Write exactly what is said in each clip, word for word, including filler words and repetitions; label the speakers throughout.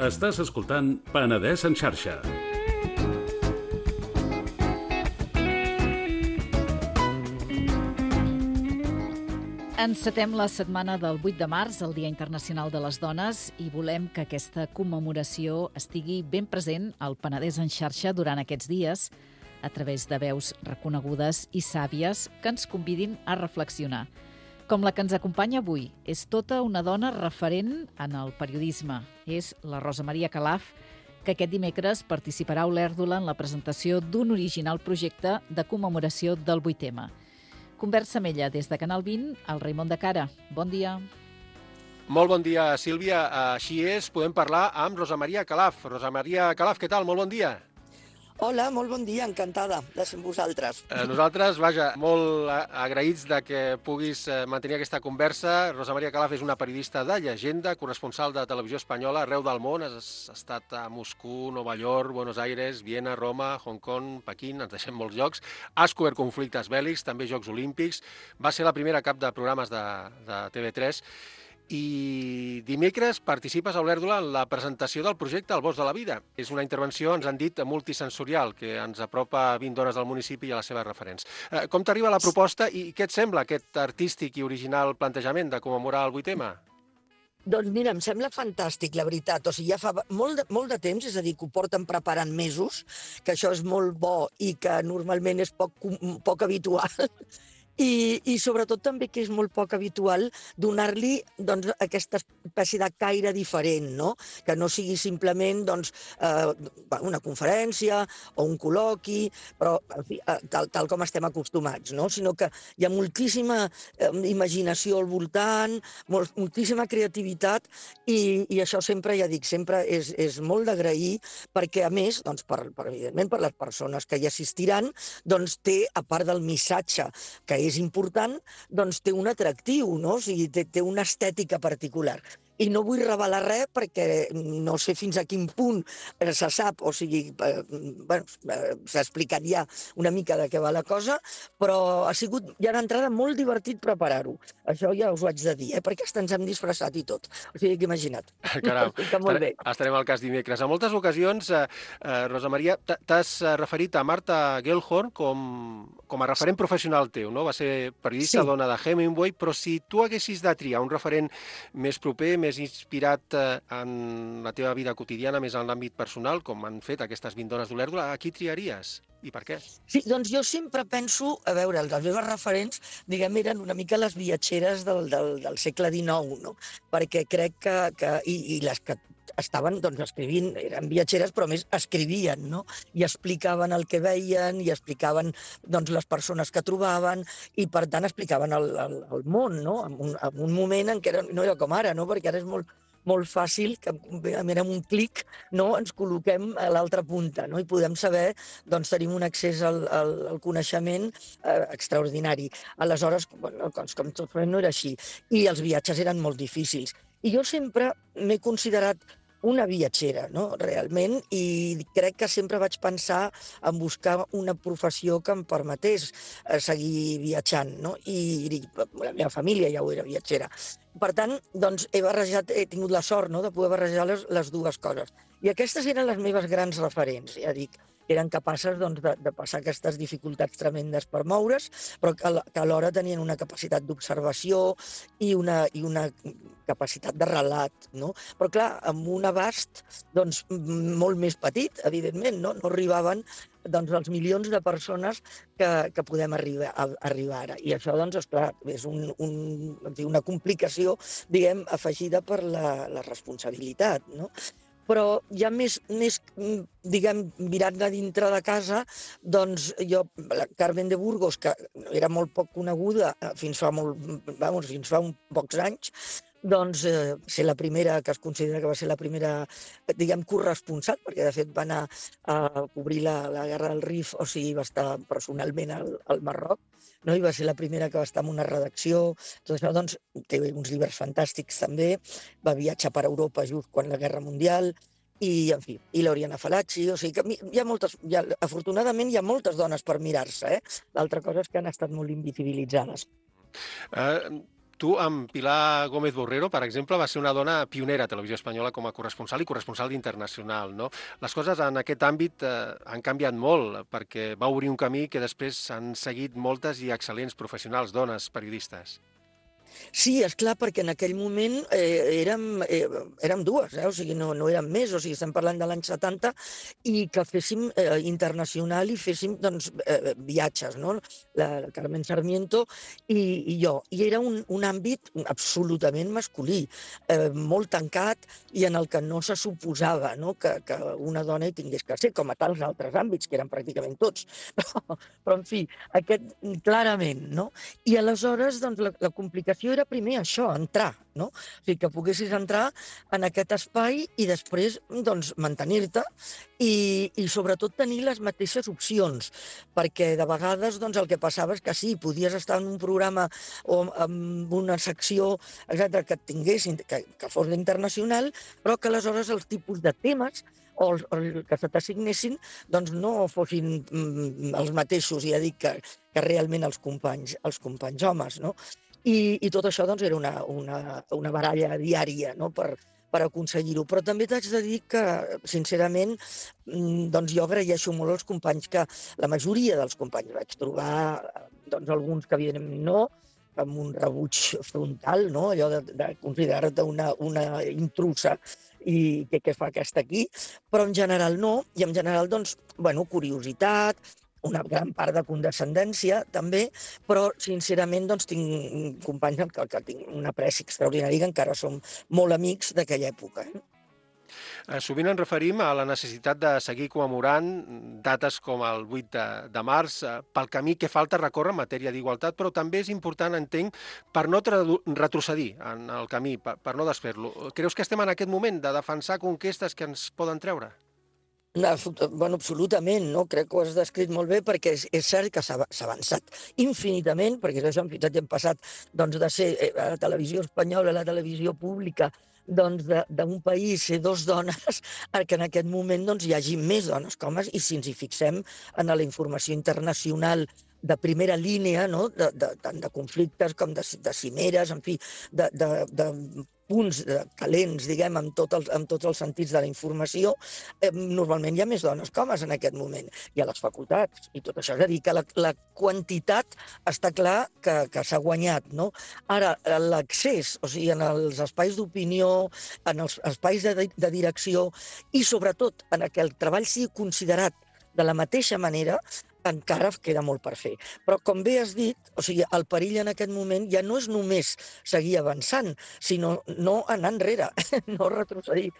Speaker 1: Estàs escoltant Penedès en xarxa.
Speaker 2: Encetem la setmana del vuit de març, el Dia Internacional de les Dones, i volem que aquesta commemoració estigui ben present al Penedès en xarxa durant aquests dies, a través de veus reconegudes i sàvies que ens convidin a reflexionar. Com la que ens acompanya avui, és tota una dona referent en el periodisme. És la Rosa Maria Calaf, que aquest dimecres participarà a Olèrdola en la presentació d'un original projecte de commemoració del vuit ema. Conversa amb ella des de Canal vint, al Raimon de Cara. Bon dia.
Speaker 3: Molt bon dia, Sílvia. Així és, podem parlar amb Rosa Maria Calaf. Rosa Maria Calaf, què tal? Molt bon dia.
Speaker 4: Hola, molt bon dia, encantada de ser amb vosaltres.
Speaker 3: Eh, nosaltres, vaja, molt agraïts de que puguis mantenir aquesta conversa. Rosa Maria Calaf és una periodista de llegenda, corresponsal de Televisió Espanyola arreu del món. Has estat a Moscou, Nova York, Buenos Aires, Viena, Roma, Hong Kong, Pequín, ens deixem molts llocs. Has cobert conflictes bèl·lics, també Jocs Olímpics. Va ser la primera cap de programes de, de T V tres. I dimecres participes a Olèrdola en la presentació del projecte El Bosc de la Vida. És una intervenció, ens han dit, multisensorial, que ens apropa a vint dones del municipi i a les seves referents. Eh, com t'arriba la proposta i què et sembla aquest artístic i original plantejament de commemorar el vuit ema?
Speaker 4: Doncs mira, em sembla fantàstic, la veritat. O sigui, ja fa molt de, molt de temps, és a dir, que ho porten preparant mesos, que això és molt bo i que normalment és poc, poc habitual. I, i sobretot també que és molt poc habitual donar-li doncs, aquesta espècie de caire diferent, no? Que no sigui simplement doncs, eh, una conferència o un col·loqui, però en fi, tal, tal com estem acostumats, no? Sinó que hi ha moltíssima eh, imaginació al voltant, molt, moltíssima creativitat i, i això sempre, ja dic, sempre és, és molt d'agrair perquè, a més, doncs, per, per, evidentment, per les persones que hi assistiran, doncs té, a part del missatge que és important, doncs té un atractiu, no? O sigui, té, té una estètica particular. I no vull revelar res perquè no sé fins a quin punt se sap, o sigui, eh, bueno, s'ha explicat ja una mica de què va la cosa, però ha sigut ja d'entrada molt divertit preparar-ho. Això ja us ho haig de dir, eh? Perquè hasta ens hem disfressat i tot. O sigui, que imagina't.
Speaker 3: Caram,
Speaker 4: molt bé.
Speaker 3: Estarem al cas dimecres. En moltes ocasions, eh, eh, Rosa Maria, t'has referit a Marta Gellhorn com, com a referent professional teu, no? Va ser periodista, sí. Dona de Hemingway, però si tu haguessis de triar un referent més proper, més inspirat en la teva vida quotidiana, més en l'àmbit personal, com han fet aquestes vint dones d'Olèrdola, a qui triaries? I per què?
Speaker 4: Sí, doncs jo sempre penso, a veure, les meves referents, diguem, eren una mica les viatgeres del, del, del segle dinou, no? Perquè crec que, que i, i les que estaven doncs, escrivint, eren viatgeres, però més escrivien, no? I explicaven el que veien, i explicaven doncs, les persones que trobaven, i per tant explicaven el, el, el món, no? En un, en un moment en què era, no era com ara, no? Perquè ara és molt, molt fàcil que amb un clic, no, ens col·loquem a l'altra punta, no? I podem saber, doncs tenim un accés al, al, al coneixement eh, extraordinari. Aleshores, bueno, com, com tot no era així. I els viatges eren molt difícils. I jo sempre m'he considerat una viatgera, no?, realment, i crec que sempre vaig pensar en buscar una professió que em permetés seguir viatjant, no? I la meva família ja ho era viatgera. Per tant, doncs, he barrejat, he tingut la sort, no?, de poder barrejar les, les dues coses. I aquestes eren les meves grans referents, ja dic. Eren capaces doncs, de, de passar aquestes dificultats tremendes per moure's, però que, que alhora tenien una capacitat d'observació i una, i una capacitat de relat, no? Però clar, amb un abast doncs, molt més petit, evidentment, no, no arribaven doncs, els milions de persones que, que podem arribar, a, arribar ara. I això, doncs, esclar, és un, un, una complicació, diguem, afegida per la, la responsabilitat, no? Però ja més, més diguem, mirant de dintre de casa, doncs jo, la Carmen de Burgos, que era molt poc coneguda fins fa, molt, vamos, fins fa un pocs anys, doncs eh, ser la primera, que es considera que va ser la primera, diguem, corresponsal, perquè de fet va anar a cobrir la, la guerra del Rif, o sigui, va estar personalment al, al Marroc, no? I va ser la primera que va estar en una redacció. Tot això, doncs, té uns llibres fantàstics també, va viatjar per Europa just quan la Guerra Mundial, i, en fi, i l'Oriana Falacci, o sigui que hi ha moltes, hi ha, afortunadament hi ha moltes dones per mirar-se, eh? L'altra cosa és que han estat molt invisibilitzades.
Speaker 3: Uh... Tu, amb Pilar Gómez Borrero, per exemple, va ser una dona pionera a Televisió Espanyola com a corresponsal i corresponsal d'Internacional, no? Les coses en aquest àmbit eh, han canviat molt, perquè va obrir un camí que després han seguit moltes i excel·lents professionals, dones, periodistes.
Speaker 4: Sí, és clar, perquè en aquell moment eh, érem, eh, érem dues, eh? O sigui, no, no érem més, o sigui, estem parlant de l'any setanta, i que féssim eh, internacional i féssim doncs, eh, viatges, no? La, la Carmen Sarmiento i, i jo. I era un, un àmbit absolutament masculí, eh, molt tancat i en el que no se suposava, no? Que, que una dona hi tingués que ser, com a tals altres àmbits, que eren pràcticament tots. Però, però en fi, aquest clarament, no? I aleshores, doncs, la, la complicació era primer això, entrar, no? O sigui, que poguessis entrar en aquest espai i després, doncs, mantenir-te i, i sobretot tenir les mateixes opcions, perquè de vegades, doncs, el que passava és que sí, podies estar en un programa o en una secció, etcètera, que et tinguessin, que, que fos internacional, però que aleshores els tipus de temes o els, els que se t'assignessin doncs no fossin mm, els mateixos, ja dic, que, que realment els companys, els companys homes, no? I, i tot això doncs, era una, una, una baralla diària, no? per, per aconseguir-ho. Però també t'haig de dir que, sincerament, doncs jo agraeixo molt als companys que, la majoria dels companys, vaig trobar doncs, alguns que evidentment no, amb un rebuig frontal, no? Allò de, de considerar-te una, una intrusa i què, què fa aquesta aquí, però en general no, i en general, doncs, bueno, curiositat, una gran part de condescendència, també, però, sincerament, doncs, tinc companys amb que, que tinc un apreci extraordinari, que encara som molt amics d'aquella època. Eh?
Speaker 3: Eh, sovint ens referim a la necessitat de seguir commemorant dates com el vuit de, de març eh, pel camí que falta recórrer en matèria d'igualtat, però també és important, entenc, per no retrocedir en el camí, per, per no desfer-lo. Creus que estem en aquest moment de defensar conquestes que ens poden treure?
Speaker 4: No, bueno, absolutament, no? Crec que ho has descrit molt bé, perquè és, és cert que s'ha avançat infinitament, perquè això fins i hem passat doncs, de ser a la televisió espanyola, a la televisió pública, doncs d'un país ser dos dones, que en aquest moment doncs, hi hagi més dones que homes, i si ens hi fixem en la informació internacional de primera línia, no? de, de, tant de conflictes com de, de cimeres, en fi, de, de, de punts calents, diguem, amb, tot el, amb tots els sentits de la informació, eh, normalment hi ha més dones que homes en aquest moment, i a les facultats, i tot això. És a dir, que la, la quantitat està clar que, que s'ha guanyat, no? Ara, l'accés, o sigui, en els espais d'opinió, en els espais de, de direcció, i sobretot en què el treball sigui considerat de la mateixa manera, encara queda molt per fer. Però, com bé has dit, o sigui, el perill en aquest moment ja no és només seguir avançant, sinó no anar enrere, no retrocedir,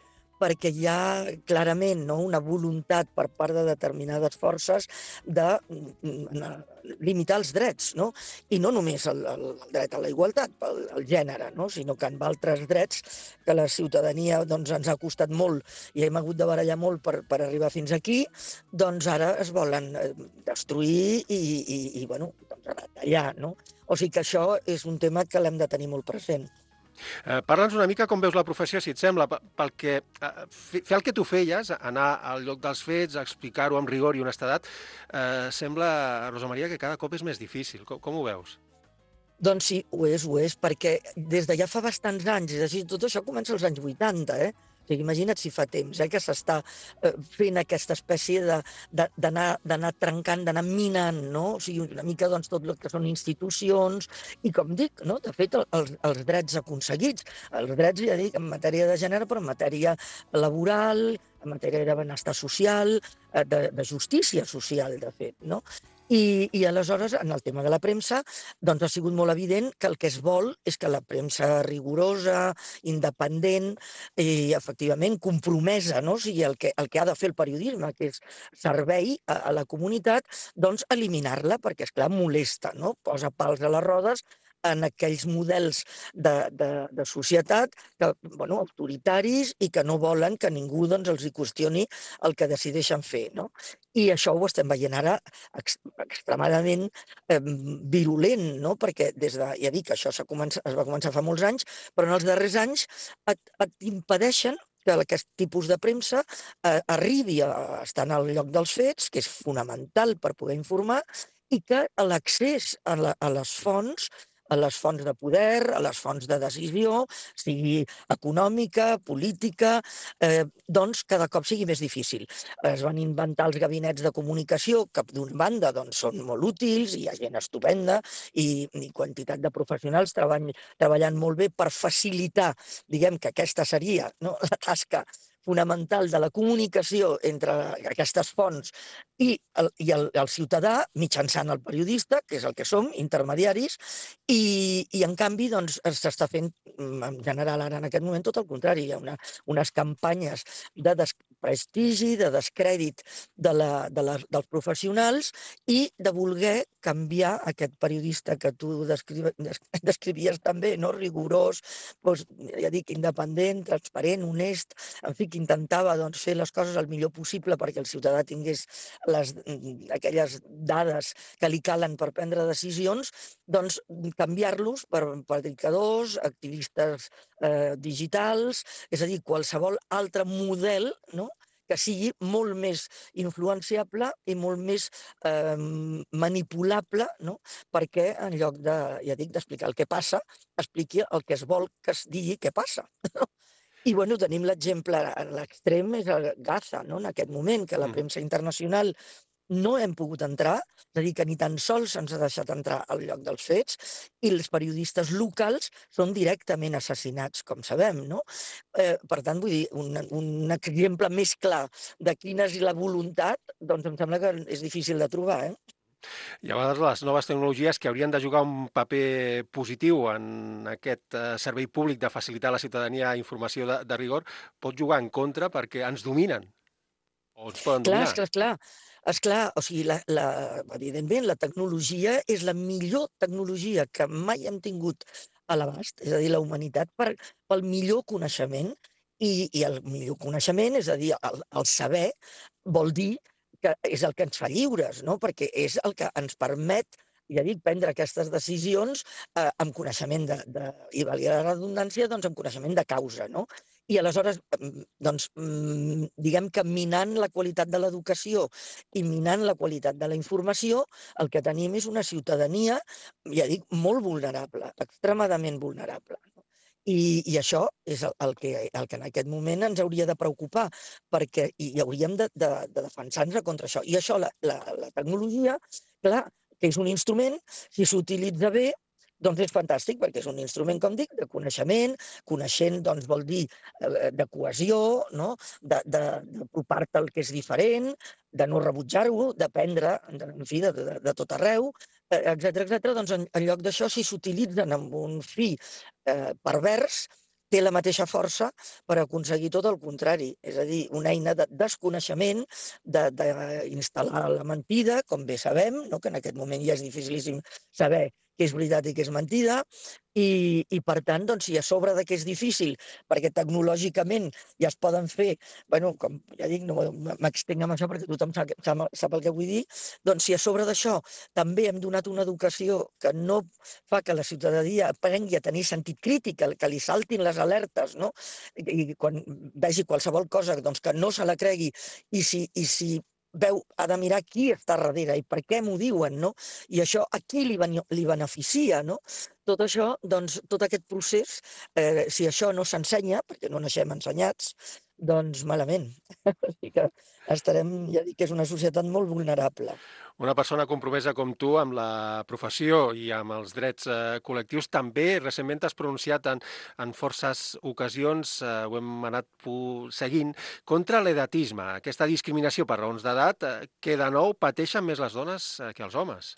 Speaker 4: perquè hi ha clarament no, una voluntat per part de determinades forces de limitar els drets, no? I no només el, el dret a la igualtat, el, el gènere, no? Sinó que amb altres drets que la ciutadania doncs, ens ha costat molt i hem hagut de barallar molt per, per arribar fins aquí, doncs ara es volen destruir i, i, i bueno, doncs retallar, no? O sigui que això és un tema que l'hem de tenir molt present.
Speaker 3: Eh, Parla'ns una mica com veus la professió, si et sembla, pel que, eh, fer el que tu feies, anar al lloc dels fets, explicar-ho amb rigor i honestedat, eh, sembla, Rosa Maria, que cada cop és més difícil. Com, com ho veus?
Speaker 4: Doncs sí, ho és, ho és, perquè des de ja fa bastants anys, és a dir, tot això comença als anys vuitanta, eh? O sigui, imagina't si fa temps eh, que s'està eh, fent aquesta espècie d'anar trencant, d'anar minant, no? O sigui, una mica doncs, tot el que són institucions i, com dic, no? De fet, els, els drets aconseguits, els drets, ja dic, en matèria de gènere, però en matèria laboral, en matèria de benestar social, eh, de, de justícia social, de fet, no? I, I aleshores, en el tema de la premsa, doncs ha sigut molt evident que el que es vol és que la premsa rigorosa, independent i, efectivament, compromesa, no? O sigui, el que, el que ha de fer el periodisme, que és servei a, a la comunitat, doncs eliminar-la, perquè, esclar, molesta, no? Posa pals a les rodes en aquells models de, de, de societat que, bueno, autoritaris i que no volen que ningú doncs, els hi qüestioni el que decideixen fer, no? I això ho estem veient ara ex extremadament eh, virulent, no? Perquè des de, ja dic, això comença, es va començar fa molts anys, però en els darrers anys et, et impedeixen que aquest tipus de premsa eh, arribi a estar en el lloc dels fets, que és fonamental per poder informar, i que l'accés a, la, a les fonts a les fonts de poder, a les fonts de decisió, sigui econòmica, política, eh, doncs cada cop sigui més difícil. Es van inventar els gabinets de comunicació, que d'una banda doncs, són molt útils, hi ha gent estupenda i, i quantitat de professionals treball, treballant molt bé per facilitar, diguem que aquesta seria, no, la tasca fonamental de la comunicació entre aquestes fonts i el, i el, el ciutadà mitjançant el periodista, que és el que som, intermediaris, i, i en canvi doncs, s'està fent en general ara en aquest moment tot el contrari. Hi ha una, unes campanyes de desprestigi, de descrèdit de la, de la, dels professionals i de voler canviar aquest periodista que tu descri, descrivies també, no? Rigorós, doncs, ja dic, independent, transparent, honest, en fi, que intentava doncs, fer les coses el millor possible perquè el ciutadà tingués les, aquelles dades que li calen per prendre decisions, doncs canviar-los per predicadors, activistes eh, digitals, és a dir, qualsevol altre model, no?, que sigui molt més influenciable i molt més eh, manipulable, no?, perquè en lloc de, ja dic, d'explicar el que passa, expliqui el que es vol que es digui que passa. I bueno, tenim l'exemple a l'extrem, és el Gaza, no?, en aquest moment, que la premsa internacional no hem pogut entrar, és a dir, que ni tan sols se'ns ha deixat entrar al lloc dels fets, i els periodistes locals són directament assassinats, com sabem, no? Eh, per tant, vull dir, un, un exemple més clar de quina és la voluntat, doncs em sembla que és difícil de trobar, eh?
Speaker 3: I a vegades les noves tecnologies que haurien de jugar un paper positiu en aquest eh, servei públic de facilitar a la ciutadania informació de, de rigor pot jugar en contra perquè ens dominen o ens poden
Speaker 4: Clar,
Speaker 3: dominar.
Speaker 4: esclar, esclar. Esclar, o sigui, la, la, evidentment, la tecnologia és la millor tecnologia que mai hem tingut a l'abast, és a dir, la humanitat per, pel millor coneixement, i, i el millor coneixement, és a dir, el, el saber, vol dir que és el que ens fa lliures, no? Perquè és el que ens permet, ja dic, prendre aquestes decisions eh, amb coneixement de, de, i valia la redundància, doncs amb coneixement de causa, no? I aleshores, doncs, diguem que minant la qualitat de l'educació i minant la qualitat de la informació, el que tenim és una ciutadania, ja dic, molt vulnerable, extremadament vulnerable. I, i això és el, el, que, el que en aquest moment ens hauria de preocupar, perquè i hauríem de, de, de defensar-nos contra això. I això, la, la, la tecnologia, clar, que és un instrument, si s'utilitza bé, doncs és fantàstic, perquè és un instrument, com dic, de coneixement. Coneixent, doncs, vol dir eh, de cohesió, no? D'apropar-te al que és diferent, de no rebutjar-ho, d'aprendre, en fi, de, de, de tot arreu, etcètera, etcètera. Doncs en, en lloc d'això, si s'utilitzen amb un fi eh, pervers, té la mateixa força per aconseguir tot el contrari. És a dir, una eina de desconeixement, d'instal·lar la mentida, com bé sabem, no? Que en aquest moment ja és dificilíssim saber què és veritat i què és mentida, i, i per tant, doncs, si a sobre de que és difícil, perquè tecnològicament ja es poden fer, bueno, com ja dic, no m'extenc amb això perquè tothom sap, sap, sap el que vull dir, doncs si a sobre d'això també hem donat una educació que no fa que la ciutadania aprengui a tenir sentit crític, que li saltin les alertes, no? I quan vegi qualsevol cosa, doncs que no se la cregui, i si, i si veu, ha de mirar qui està darrere i per què m'ho diuen, no? I això a qui li, li beneficia, no? Tot això, doncs, tot aquest procés, eh, si això no s'ensenya, perquè no naixem ensenyats, doncs malament. Que estarem, ja dic que és una societat molt vulnerable.
Speaker 3: Una persona compromesa com tu amb la professió i amb els drets eh, col·lectius també recentment t'has pronunciat en, en forces ocasions, eh, ho hem anat seguint, contra l'edatisme, aquesta discriminació per raons d'edat eh, que de nou pateixen més les dones eh, que els homes.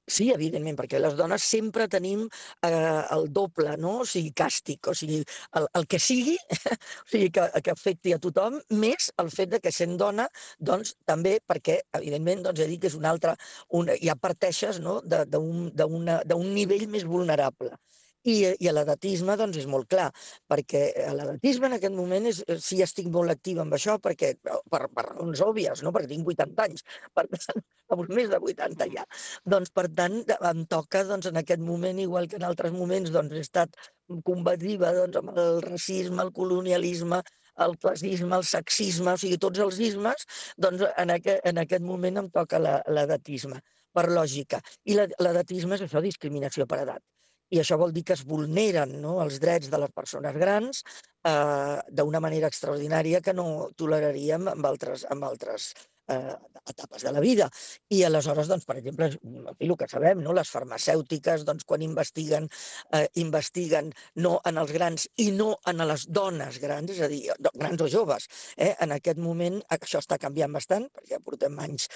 Speaker 4: Sí, evidentment, perquè les dones sempre tenim eh, el doble, no? O sigui, càstig, o sigui, el, el que sigui, o sigui, que, que afecti a tothom, més el fet de que sent dona, doncs, també, perquè, evidentment, doncs, ja dic que és un altre, un, ja parteixes, no?, d'un nivell més vulnerable. I, i l'edatisme, doncs, és molt clar, perquè l'edatisme en aquest moment és, sí, estic molt activa amb això, perquè, per, per raons òbvies, no?, perquè tinc vuitanta anys, per tant, més de vuitanta ja. Doncs, per tant, em toca, doncs, en aquest moment, igual que en altres moments, doncs, he estat combativa, doncs, amb el racisme, el colonialisme, el classisme, el sexisme, o sigui, tots els ismes, doncs, en aquest, en aquest moment em toca l'edatisme, per lògica. I l'edatisme és això, discriminació per edat. i això vol dir que es vulneren, no?, els drets de les persones grans eh, d'una manera extraordinària que no toleraríem amb altres, amb altres eh, etapes de la vida. I aleshores, doncs, per exemple, el que sabem, no?, les farmacèutiques, doncs, quan investiguen, eh, investiguen no en els grans i no en les dones grans, és a dir, grans o joves. Eh? En aquest moment això està canviant bastant, perquè ja portem anys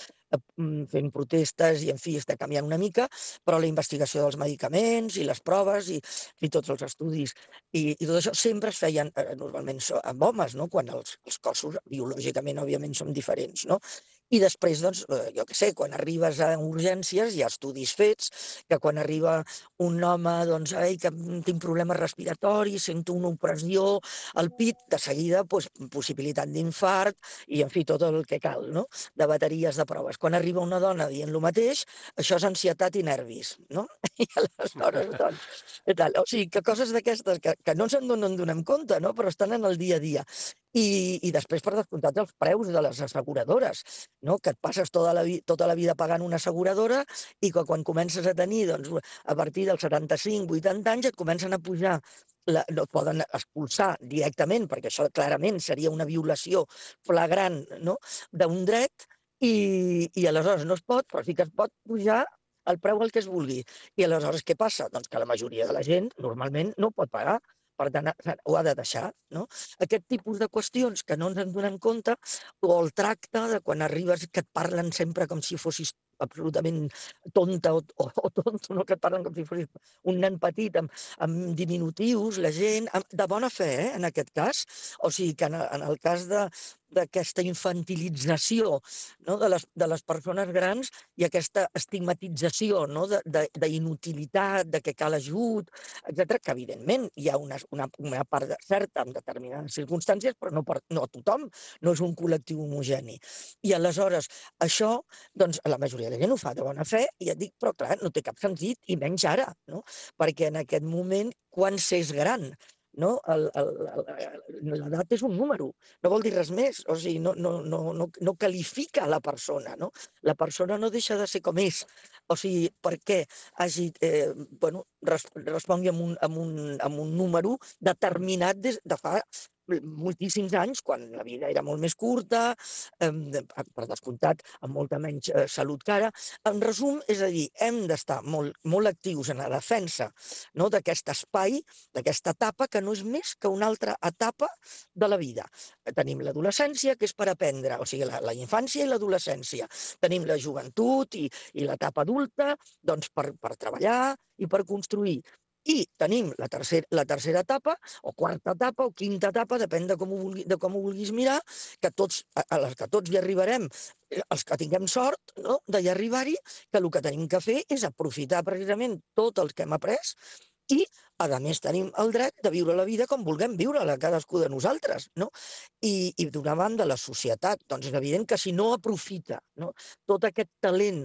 Speaker 4: fent protestes i, en fi, està canviant una mica, però la investigació dels medicaments i les proves i, i tots els estudis i, i tot això sempre es feien eh, normalment amb homes, no?, quan els, els cossos biològicament, òbviament, són diferents, no? I després, doncs, jo què sé, quan arribes a urgències hi ha estudis fets que quan arriba un home, doncs, ai, que tinc problemes respiratoris, sento una opressió al pit, de seguida, doncs, possibilitat d'infart i, en fi, tot el que cal, no?, de bateries de proves. Quan arriba una dona dient el mateix, això és ansietat i nervis, no? I aleshores, doncs, tal. O sigui, que coses d'aquestes que, que no se'n donen, donem compte, no?, però estan en el dia a dia. I, i després, per descomptat, els preus de les asseguradores, no?, que et passes tota la, tota la vida pagant una asseguradora i que quan comences a tenir, doncs, a partir dels setanta-cinc vuitanta anys et comencen a pujar, la, no et poden expulsar directament, perquè això clarament seria una violació flagrant, no?, d'un dret, i, i aleshores no es pot, però sí que es pot pujar el preu al que es vulgui. I aleshores què passa? Doncs que la majoria de la gent normalment no pot pagar, per tant, ho ha de deixar, no? Aquest tipus de qüestions que no ens en donem compte, o el tracte de quan arribes que et parlen sempre com si fossis absolutament tonta o, o, o tonto, no?, que et parlen com si fossis un nen petit amb, amb diminutius, la gent, amb, de bona fe, eh, en aquest cas. O sigui que en, en el cas de d'aquesta infantilització, no?, de, les, de les persones grans i aquesta estigmatització, no?, d'inutilitat, de, de que cal ajut, etcètera, que evidentment hi ha una, una, una part certa en determinades circumstàncies, però no, per, no a tothom, no és un col·lectiu homogeni. I aleshores això, doncs, la majoria de la gent ho fa de bona fe, i et dic, però clar, no té cap sentit, i menys ara, no?, perquè en aquest moment, quan s'és gran, no? L'edat és un número, no vol dir res més, o sigui, no, no, no, no, no qualifica la persona, no? La persona no deixa de ser com és, o sigui, perquè hagi, eh, bueno, respongui amb un, amb, un, amb un número determinat des de fa moltíssims anys, quan la vida era molt més curta, eh, per descomptat, amb molta menys eh, salut que ara. En resum, és a dir, hem d'estar molt, molt actius en la defensa, no?, d'aquest espai, d'aquesta etapa, que no és més que una altra etapa de la vida. Tenim l'adolescència, que és per aprendre, o sigui, la, la infància i l'adolescència. Tenim la joventut i, i l'etapa adulta, doncs, per, per treballar i per construir. I tenim la, tercer, la tercera etapa, o quarta etapa, o quinta etapa, depèn de com ho, vulgui, de com ho vulguis mirar, que tots, a les que tots hi arribarem, els que tinguem sort, no?, d'hi arribar-hi, que el que tenim que fer és aprofitar precisament tot el que hem après i, a més, tenim el dret de viure la vida com vulguem viure-la, cadascú de nosaltres, no? I, i d'una banda, la societat, doncs és evident que si no aprofita, no?, tot aquest talent,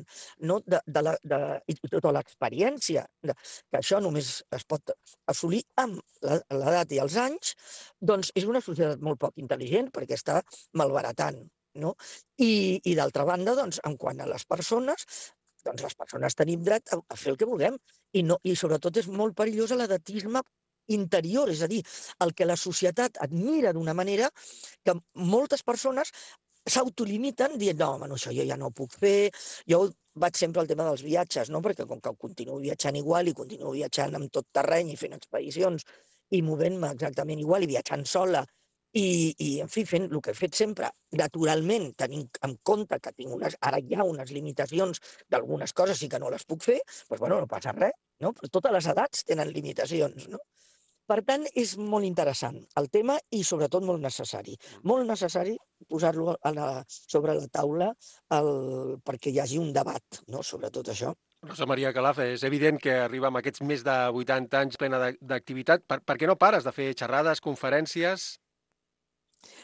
Speaker 4: no?, de, de la, de, i tota l'experiència, que això només es pot assolir amb l'edat i els anys, doncs és una societat molt poc intel·ligent perquè està malbaratant, no? I, i d'altra banda, doncs, en quant a les persones, doncs les persones tenim dret a, a fer el que vulguem i, no, i sobretot és molt perillós l'edatisme interior, és a dir, el que la societat admira d'una manera que moltes persones s'autolimiten dient, no, home, no, això jo ja no ho puc fer. Jo vaig sempre al tema dels viatges, no?, perquè com que continuo viatjant igual i continuo viatjant amb tot terreny i fent expedicions i movent-me exactament igual i viatjant sola, I, i, en fi, fent el que he fet sempre, naturalment, tenint en compte que tinc unes, ara hi ha unes limitacions d'algunes coses i que no les puc fer, doncs, bueno, no passa res, no? Però totes les edats tenen limitacions, no? Per tant, és molt interessant el tema i, sobretot, molt necessari. Molt necessari posar-lo a la, sobre la taula el, perquè hi hagi un debat, no?, sobre tot això.
Speaker 3: Rosa Maria Calaf, és evident que arriba amb aquests més de vuitanta anys plena d'activitat. Per, per què no pares de fer xerrades, conferències?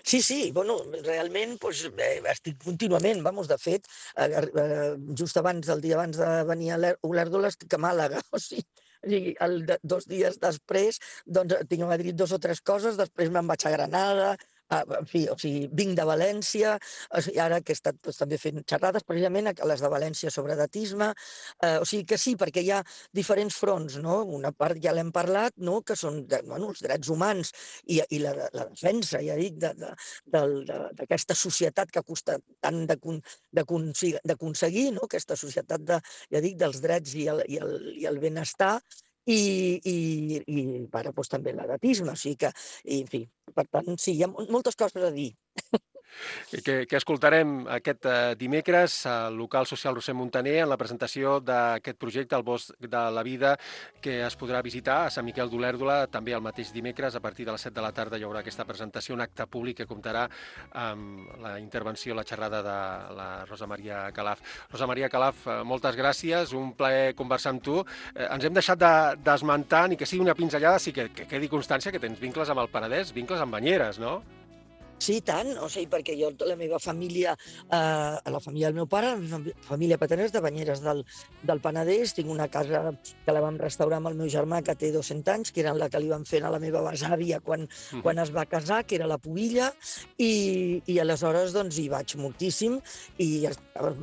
Speaker 4: Sí, sí, bueno, realment doncs, eh, estic contínuament, vamos, de fet, eh, eh, just abans, el dia abans de venir a Olèrdola, estic a Màlaga, o sigui, el, de, dos dies després, doncs tinc a Madrid dos o tres coses, després me'n vaig a Granada, en fi, o sigui, vinc de València, i ara que he estat doncs, també fent xerrades, precisament a les de València sobre datisme, eh, o sigui que sí, perquè hi ha diferents fronts, no? Una part ja l'hem parlat, no? Que són de, bueno, els drets humans i, i la, la defensa, ja dic, d'aquesta societat que ha costat tant d'aconseguir, no? Aquesta societat de, ja dic, dels drets i el, i el, i el benestar, i, i, i ara doncs, també l'edatisme, o sigui que, i, en fi, per tant, sí, hi ha moltes coses a dir.
Speaker 3: Que, que escoltarem aquest uh, dimecres al local social Roser Montaner en la presentació d'aquest projecte, el Bosc de la Vida, que es podrà visitar a Sant Miquel d'Olèrdola també el mateix dimecres. A partir de les set de la tarda hi haurà aquesta presentació, un acte públic que comptarà amb la intervenció, la xerrada de la Rosa Maria Calaf. Rosa Maria Calaf, moltes gràcies, un plaer conversar amb tu. Eh, ens hem deixat d'esmentar, de, ni que sigui una pinzellada, sí que, que quedi constància que tens vincles amb el Penedès, vincles amb Banyeres, no?
Speaker 4: Sí, tant, o sigui, perquè jo, la meva família, eh, la família del meu pare, la família paterna és de Banyeres del, del Penedès, tinc una casa que la vam restaurar amb el meu germà, que té dos-cents anys, que era la que li van fer a la meva besàvia quan, mm. quan es va casar, que era la Pubilla, i, i aleshores doncs hi vaig moltíssim, i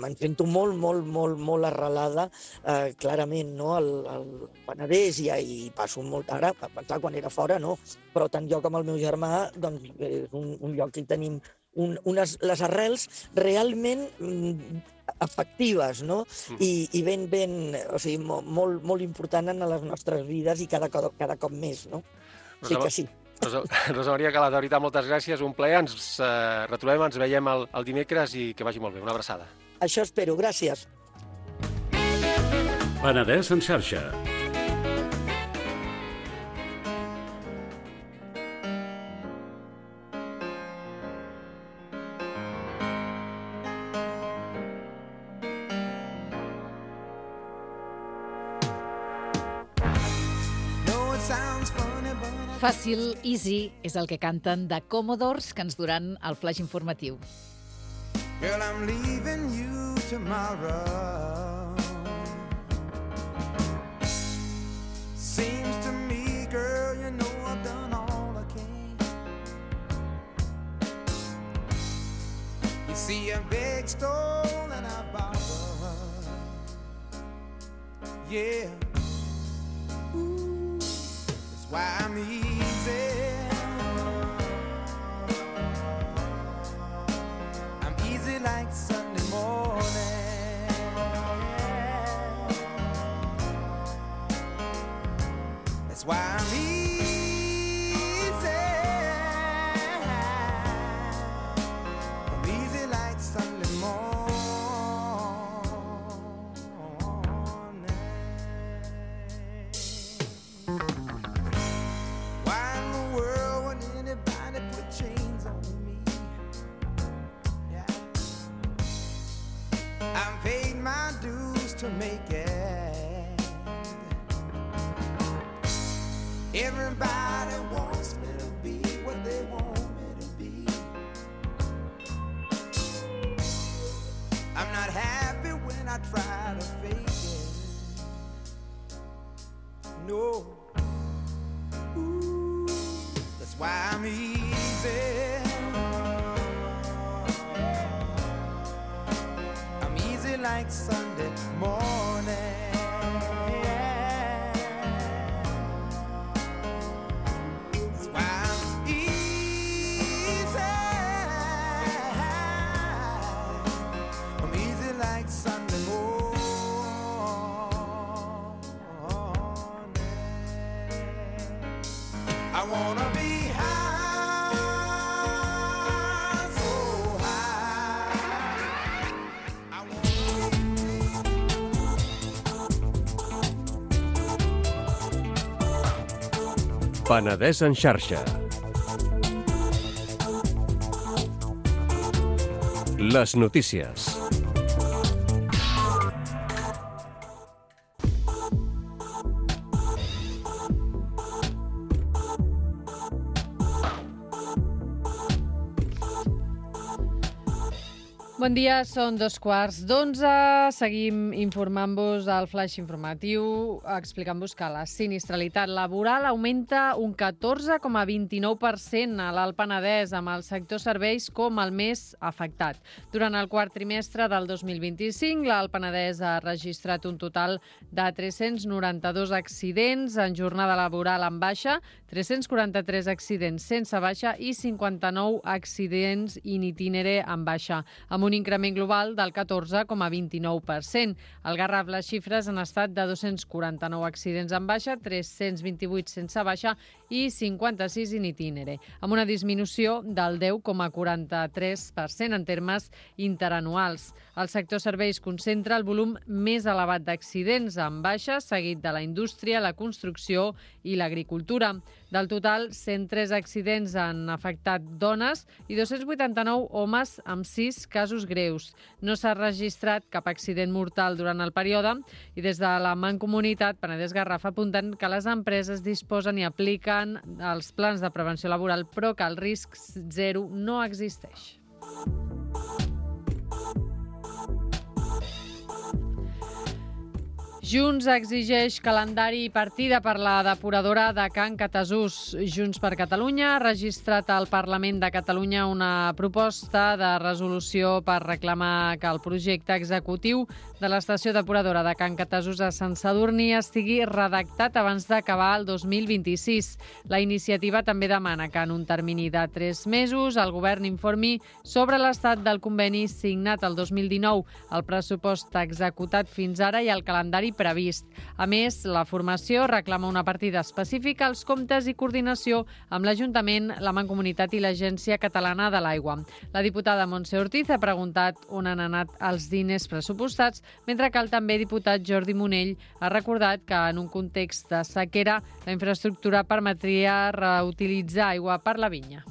Speaker 4: me'n sento molt, molt, molt, molt arrelada, eh, clarament, no?, al, al Penedès, i, i passo molt ara, clar, quan era fora, no, però tant jo com el meu germà, doncs, és un, un lloc que tenim un, unes, les arrels realment mm, efectives, no? Mm. I, i ben, ben, o sigui, molt, molt important en les nostres vides i cada, cada cop més, no? O sigui que sí.
Speaker 3: Rosa, Rosa Maria Calaf, de veritat, moltes gràcies, un plaer, ens eh, retrobem, ens veiem el, el dimecres i que vagi molt bé, una abraçada.
Speaker 4: Això espero, gràcies.
Speaker 1: Penedès en xarxa.
Speaker 2: Fàcil, easy, és el que canten de Commodores, que ens duran el flash informatiu.
Speaker 5: Girl, I'm leaving you tomorrow. Seems to me, girl, you know I've done all I can. You see a big stone and I borrow. Yeah. Ooh, that's why I'm easy. Like Sunday morning. That's why I'm easy. I'm easy like Sunday morning. Why in the world would anybody put chains on me? I've paid my dues to make it. Everybody wants me to be what they want me to be. I'm not happy when I try to fake it. No. Ooh, that's why I'm easy. Like Sunday morning. That's why I'm easy. I'm easy like Sunday morning. I wanna be high.
Speaker 6: Penedès en xarxa. Les notícies.
Speaker 7: Bon dia, són dos quarts d'onze. Seguim informant-vos al flash informatiu, explicant-vos que la sinistralitat laboral augmenta un catorze coma vint-i-nou per cent a l'Alt Penedès, amb el sector serveis com el més afectat. Durant el quart trimestre del dos mil vint-i-cinc, l'Alt Penedès ha registrat un total de tres-cents noranta-dos accidents en jornada laboral en baixa, tres-cents quaranta-tres accidents sense baixa i cinquanta-nou accidents in itinere en baixa, amb un increment global del catorze coma vint-i-nou per cent. Al Garraf les xifres han estat de dos-cents quaranta-nou accidents en baixa, tres-cents vint-i-vuit sense baixa i cinquanta-sis in itinere, amb una disminució del deu coma quaranta-tres per cent en termes interanuals. El sector serveis concentra el volum més elevat d'accidents en baixa, seguit de la indústria, la construcció i l'agricultura. Del total, cent tres accidents han afectat dones i dos-cents vuitanta-nou homes amb sis casos greus. No s'ha registrat cap accident mortal durant el període i des de la Mancomunitat Penedès Garraf apunten que les empreses disposen i apliquen els plans de prevenció laboral, però que el risc zero no existeix. Junts exigeix calendari i partida per la depuradora de Can Catasús. Junts per Catalunya ha registrat al Parlament de Catalunya una proposta de resolució per reclamar que el projecte executiu de l'estació depuradora de Can Catasús a Sant Sadurní estigui redactat abans d'acabar el dos mil vint-i-sis. La iniciativa també demana que en un termini de tres mesos el govern informi sobre l'estat del conveni signat el dos mil dinou, el pressupost executat fins ara i el calendari previst. A més, la formació reclama una partida específica als comptes i coordinació amb l'Ajuntament, la Mancomunitat i l'Agència Catalana de l'Aigua. La diputada Montse Ortiz ha preguntat on han anat els diners pressupostats, mentre que el també diputat Jordi Monell ha recordat que en un context de sequera la infraestructura permetria reutilitzar aigua per la vinya.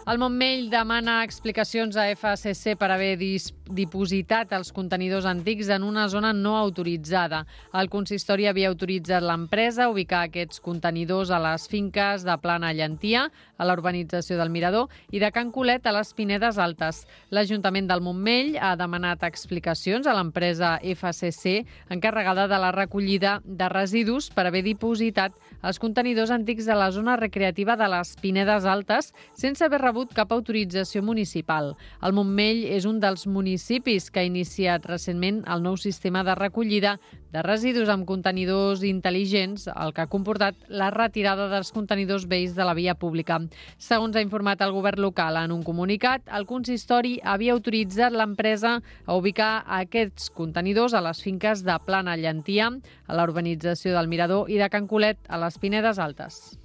Speaker 7: El Montmell demana explicacions a F C C per haver dipositat els contenidors antics en una zona no autoritzada. El consistori havia autoritzat l'empresa a ubicar aquests contenidors a les finques de Plana Llentia, a la urbanització del Mirador, i de Can Colet a les Pinedes Altes. L'Ajuntament del Montmell ha demanat explicacions a l'empresa F C C, encarregada de la recollida de residus, per haver dipositat els contenidors antics a la zona recreativa de les Pinedes Altes sense haver rebut cap autorització municipal. El Montmell és un dels municipis que ha iniciat recentment el nou sistema de recollida de residus amb contenidors intel·ligents, el que ha comportat la retirada dels contenidors vells de la via pública. Segons ha informat el govern local en un comunicat, el consistori havia autoritzat l'empresa a ubicar aquests contenidors a les finques de Plana Llentia, a la urbanització del Mirador, i de Can Colet, a les Pinedes Altes.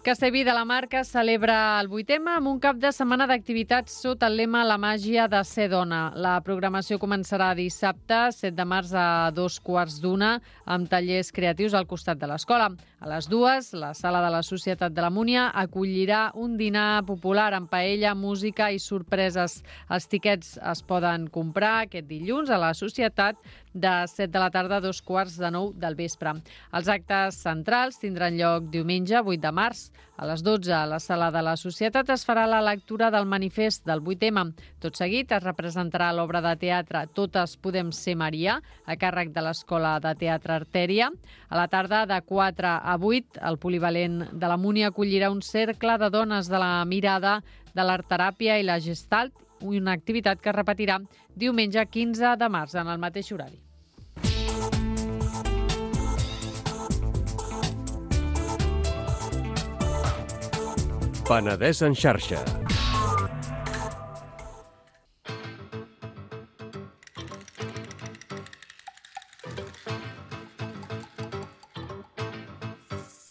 Speaker 7: Castellví de la Marca celebra el vuitè amb un cap de setmana d'activitats sota el lema La màgia de ser dona. La programació començarà dissabte, set de març, a dos quarts d'una, amb tallers creatius al costat de l'escola. A les dues, la sala de la Societat de la Múnia acollirà un dinar popular amb paella, música i sorpreses. Els tiquets es poden comprar aquest dilluns a la Societat de set de la tarda a dos quarts de nou del vespre. Els actes centrals tindran lloc diumenge, vuit de març. A les dotze, a la sala de la Societat, es farà la lectura del manifest del vuitè ema. Tot seguit es representarà l'obra de teatre Totes podem ser Maria, a càrrec de l'Escola de Teatre Artèria. A la tarda, de quatre a vuit, el polivalent de la Múnia acollirà un cercle de dones de la mirada, de l'artteràpia i la gestalt, una activitat que es repetirà diumenge quinze de març en el mateix horari.
Speaker 6: Penedès en xarxa.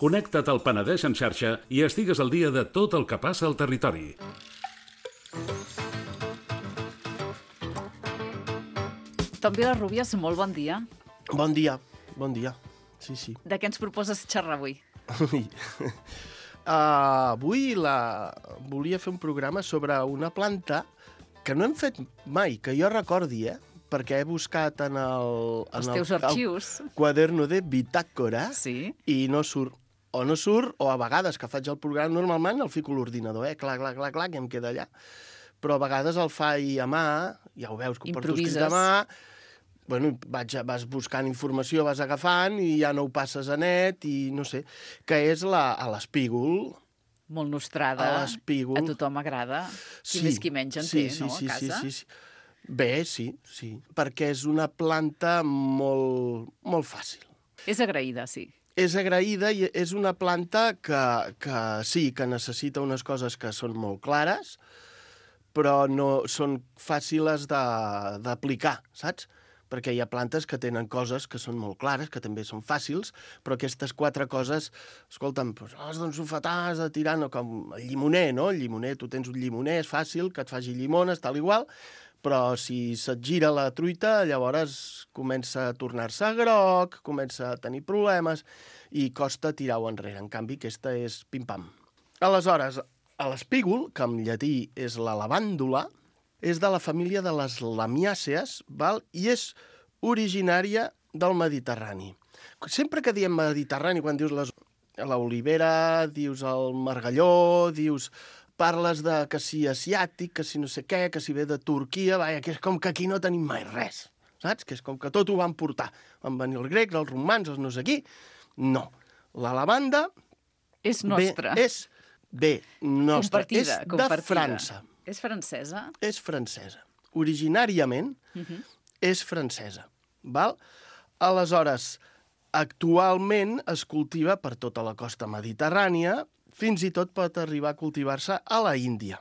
Speaker 1: Connecta't al Penedès en xarxa i estigues al dia de tot el que passa al territori.
Speaker 2: Tom Vilarrubias, molt bon dia.
Speaker 8: Bon dia, bon dia. Sí, sí.
Speaker 2: De què ens proposes xerrar avui?
Speaker 8: Uh, avui la... volia fer un programa sobre una planta que no hem fet mai, que jo recordi, eh? perquè he buscat en el...
Speaker 2: Els
Speaker 8: en
Speaker 2: teus
Speaker 8: el,
Speaker 2: arxius.
Speaker 8: El quaderno de bitàcora
Speaker 2: Sí.
Speaker 8: i no surt. O no surt, o a vegades que faig el programa, normalment el fico a l'ordinador, eh? Clar, clar, clar, clar, que em queda allà. Però a vegades el faig a mà, ja ho veus, que ho porto escrit a mà, bueno, vaig, vas buscant informació, vas agafant i ja no ho passes a net i no sé, que és la, a l'espígol.
Speaker 2: Molt nostrada.
Speaker 8: A l'espígol.
Speaker 2: A tothom agrada. Qui
Speaker 8: Sí,
Speaker 2: més qui menys en
Speaker 8: sí,
Speaker 2: té,
Speaker 8: sí,
Speaker 2: no,
Speaker 8: sí,
Speaker 2: a casa?
Speaker 8: Sí, sí, sí. Bé, sí, sí, perquè és una planta molt, molt fàcil.
Speaker 2: És agraïda, sí.
Speaker 8: És agraïda i és una planta que, que sí, que necessita unes coses que són molt clares, però no són fàcils de- d'aplicar, saps? Perquè hi ha plantes que tenen coses que són molt clares, que també són fàcils, però aquestes quatre coses, escolta'm, doncs, has d'ensofetar, has de tirar, no, com el llimoner, no? El llimoner, tu tens un llimoner, és fàcil, que et faci llimones, tal igual, però si se't gira la truita, llavors comença a tornar-se groc, comença a tenir problemes i costa tirar-ho enrere. En canvi, aquesta és pim-pam. Aleshores, a l'espígol, que en llatí és la lavàndula, és de la família de les lamiàcees, val? I és originària del Mediterrani. Sempre que diem Mediterrani, quan dius les... l'olivera, dius el margalló, dius... parles de que si asiàtic, que si no sé què, que si ve de Turquia, vaja, que és com que aquí no tenim mai res, saps? Que és com que tot ho van portar. Van venir els grecs, els romans, els no sé qui. No. La lavanda...
Speaker 2: És nostra.
Speaker 8: Bé, és bé, nostra.
Speaker 2: Compartida,
Speaker 8: és
Speaker 2: compartida.
Speaker 8: de França.
Speaker 2: És francesa?
Speaker 8: És francesa. Originàriament
Speaker 2: Uh -huh.
Speaker 8: és francesa. Val? Aleshores, actualment es cultiva per tota la costa mediterrània, fins i tot pot arribar a cultivar-se a la Índia.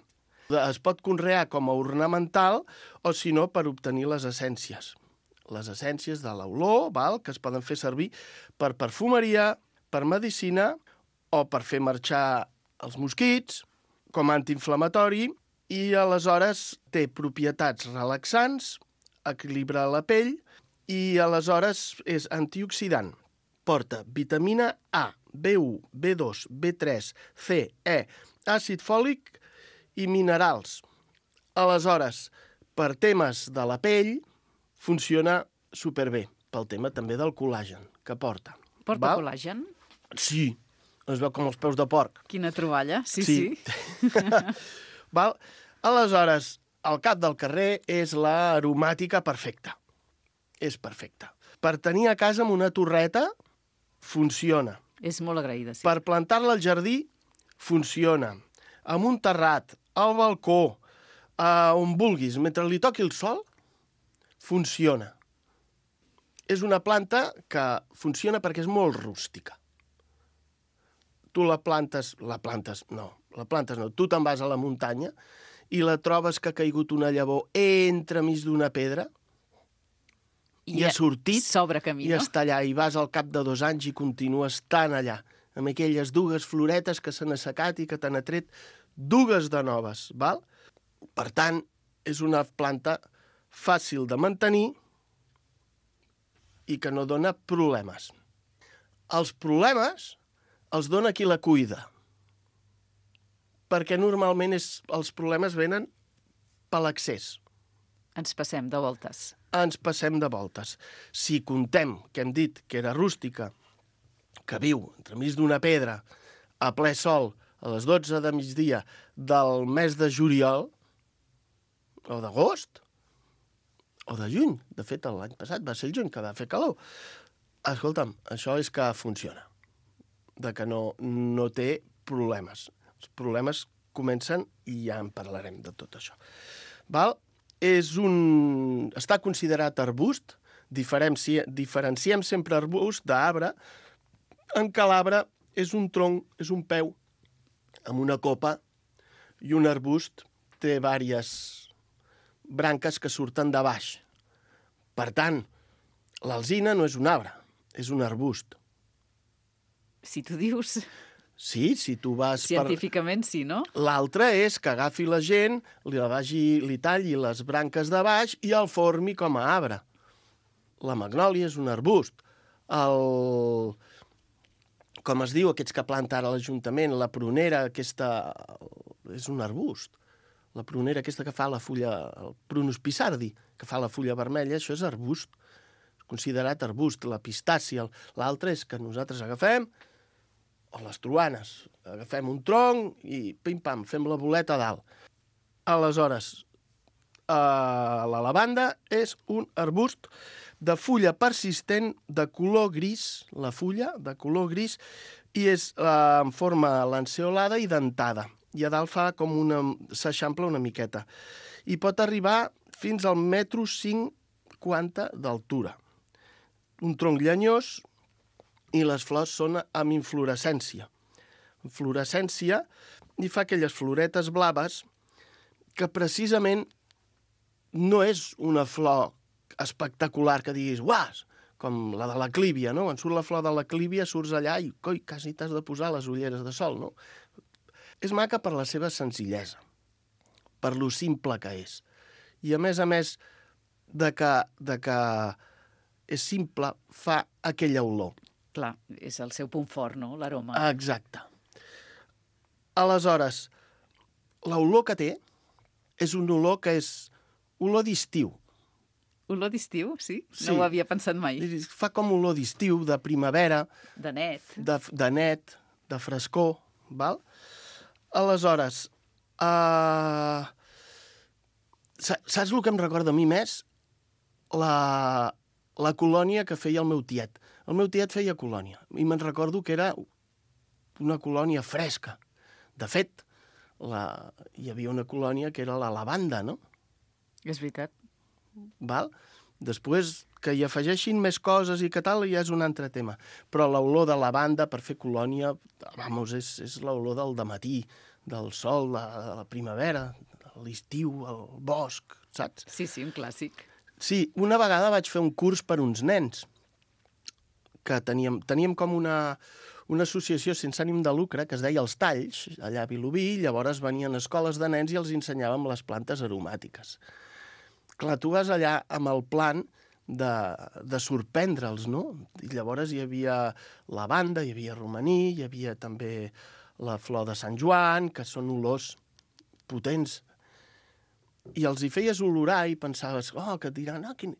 Speaker 8: Es pot conrear com a ornamental o, si no, per obtenir les essències. Les essències de l'olor, val, que es poden fer servir per perfumeria, per medicina o per fer marxar els mosquits, com a antiinflamatori, i aleshores té propietats relaxants, equilibra la pell i aleshores és antioxidant. Porta vitamina A, B u, B dos, B tres, C, E, àcid fòlic i minerals. Aleshores, per temes de la pell, funciona superbé, pel tema també del col·làgen que porta.
Speaker 2: Porta
Speaker 8: Val?
Speaker 2: col·làgen?
Speaker 8: Sí, es veu com els peus de porc.
Speaker 2: Quina troballa, sí,
Speaker 8: Sí.
Speaker 2: sí.
Speaker 8: Val? Aleshores, al cap del carrer és l'aromàtica perfecta. És perfecta. Per tenir a casa amb una torreta, funciona.
Speaker 2: És molt agraïda, sí.
Speaker 8: Per plantar-la al jardí, funciona. Amb un terrat, al balcó, a on vulguis, mentre li toqui el sol, funciona. És una planta que funciona perquè és molt rústica. Tu la plantes... La plantes, no. La plantes no. Tu te'n vas a la muntanya i la trobes que ha caigut una llavor entremig d'una pedra i, i ha sortit
Speaker 2: s'obre camí,
Speaker 8: i
Speaker 2: no?
Speaker 8: està allà, i vas al cap de dos anys i continues tan allà, amb aquelles dues floretes que s'han assecat i que t'han atret dues de noves, val? Per tant, és una planta fàcil de mantenir i que no dona problemes. Els problemes els dona qui la cuida, perquè normalment és, els problemes venen per l'accés.
Speaker 2: Ens passem de voltes.
Speaker 8: Ens passem de voltes. Si contem, que hem dit que era rústica, que viu entremig d'una pedra, a ple sol, a les dotze de migdia del mes de juliol, o d'agost, o de juny. De fet, l'any passat va ser el juny, que va fer calor. Escolta'm, això és que funciona. De que no, no té problemes. Els problemes comencen i ja en parlarem de tot això. Val? És un... Està considerat arbust, diferenci... diferenciem sempre arbust d'arbre, en què l'arbre és un tronc, és un peu, amb una copa, i un arbust té diverses branques que surten de baix. Per tant, l'alzina no és un arbre, és un arbust.
Speaker 2: Si tu dius...
Speaker 8: Sí, si tu vas
Speaker 2: Científicament, per... sí, no?
Speaker 8: L'altre és que agafi la gent, li, vagi, li talli les branques de baix i el formi com a arbre. La magnòlia és un arbust. El... Com es diu, aquests que planta ara l'Ajuntament, la prunera, aquesta... és un arbust. La prunera aquesta que fa la fulla, el prunus pisardi, que fa la fulla vermella, això és arbust, és considerat arbust. La pistàcia, l'altre és que nosaltres agafem, o les truanes, agafem un tronc i pim-pam, fem la boleta a dalt. Aleshores, Uh, la lavanda és un arbust de fulla persistent de color gris, la fulla de color gris, i és uh, en forma lanceolada i dentada. I a dalt fa com una... s'eixampla una miqueta. I pot arribar fins al metro cinquanta d'altura. Un tronc llenyós i les flors són amb inflorescència. Inflorescència i fa aquelles floretes blaves que precisament no és una flor espectacular que diguis, uas, com la de la clívia, no? Quan surt la flor de la clívia, surts allà i, coi, quasi t'has de posar les ulleres de sol, no? És maca per la seva senzillesa, per lo simple que és. I a més a més de que, de que és simple, fa aquella olor.
Speaker 2: Clar, és el seu punt fort, no?, l'aroma.
Speaker 8: Exacte. Aleshores, l'olor que té és una olor que és olor d'estiu.
Speaker 2: Olor d'estiu, sí?
Speaker 8: Sí.
Speaker 2: No ho havia pensat mai.
Speaker 8: Fa com olor d'estiu, de primavera,
Speaker 2: De net.
Speaker 8: de, de net, de frescor, val? Aleshores, uh, saps el que em recorda a mi més? La, la colònia que feia el meu tiet. El meu tiet feia colònia, i me'n recordo que era una colònia fresca. De fet, la, hi havia una colònia que era la lavanda, no?
Speaker 2: És veritat.
Speaker 8: Val? Després, que hi afegeixin més coses i que tal, ja és un altre tema. Però l'olor de lavanda per fer colònia, vamos, és, és l'olor del dematí, del sol, de, de la primavera, de l'estiu, el bosc, saps?
Speaker 2: Sí, sí, un clàssic.
Speaker 8: Sí, una vegada vaig fer un curs per uns nens, que teníem, teníem com una, una associació sense ànim de lucre que es deia Els Talls, allà a Vilobí, llavors venien escoles de nens i els ensenyàvem les plantes aromàtiques. Clar, tu vas allà amb el plan de, de sorprendre'ls, no? I llavors hi havia lavanda, hi havia romaní, hi havia també la flor de Sant Joan, que són olors potents. I els hi feies olorar i pensaves, oh, que et diran, oh, quin...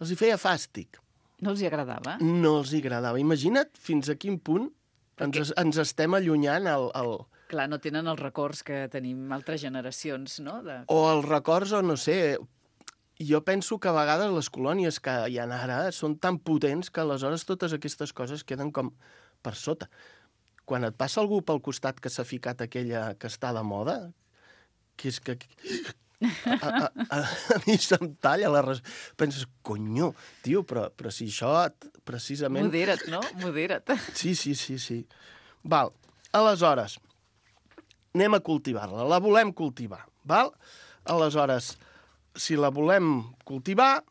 Speaker 8: els hi feia fàstic.
Speaker 2: No els hi agradava?
Speaker 8: No els hi agradava. Imagina't fins a quin punt
Speaker 2: Perquè...
Speaker 8: ens, ens estem allunyant el... el...
Speaker 2: Clar, no tenen els records que tenim altres generacions, no? De...
Speaker 8: O els records, o no sé... Jo penso que a vegades les colònies que hi ha ara són tan potents que aleshores totes aquestes coses queden com per sota. Quan et passa algú pel costat que s'ha ficat aquella que està de moda, que és que... A, a, a, a mi se'm talla la res... Penses, conyo, tio, però, però si això precisament...
Speaker 2: Modera't, no? Modera't.
Speaker 8: Sí, sí, sí, sí. Val, aleshores, anem a cultivar-la. La volem cultivar, val? Aleshores, si la volem cultivar,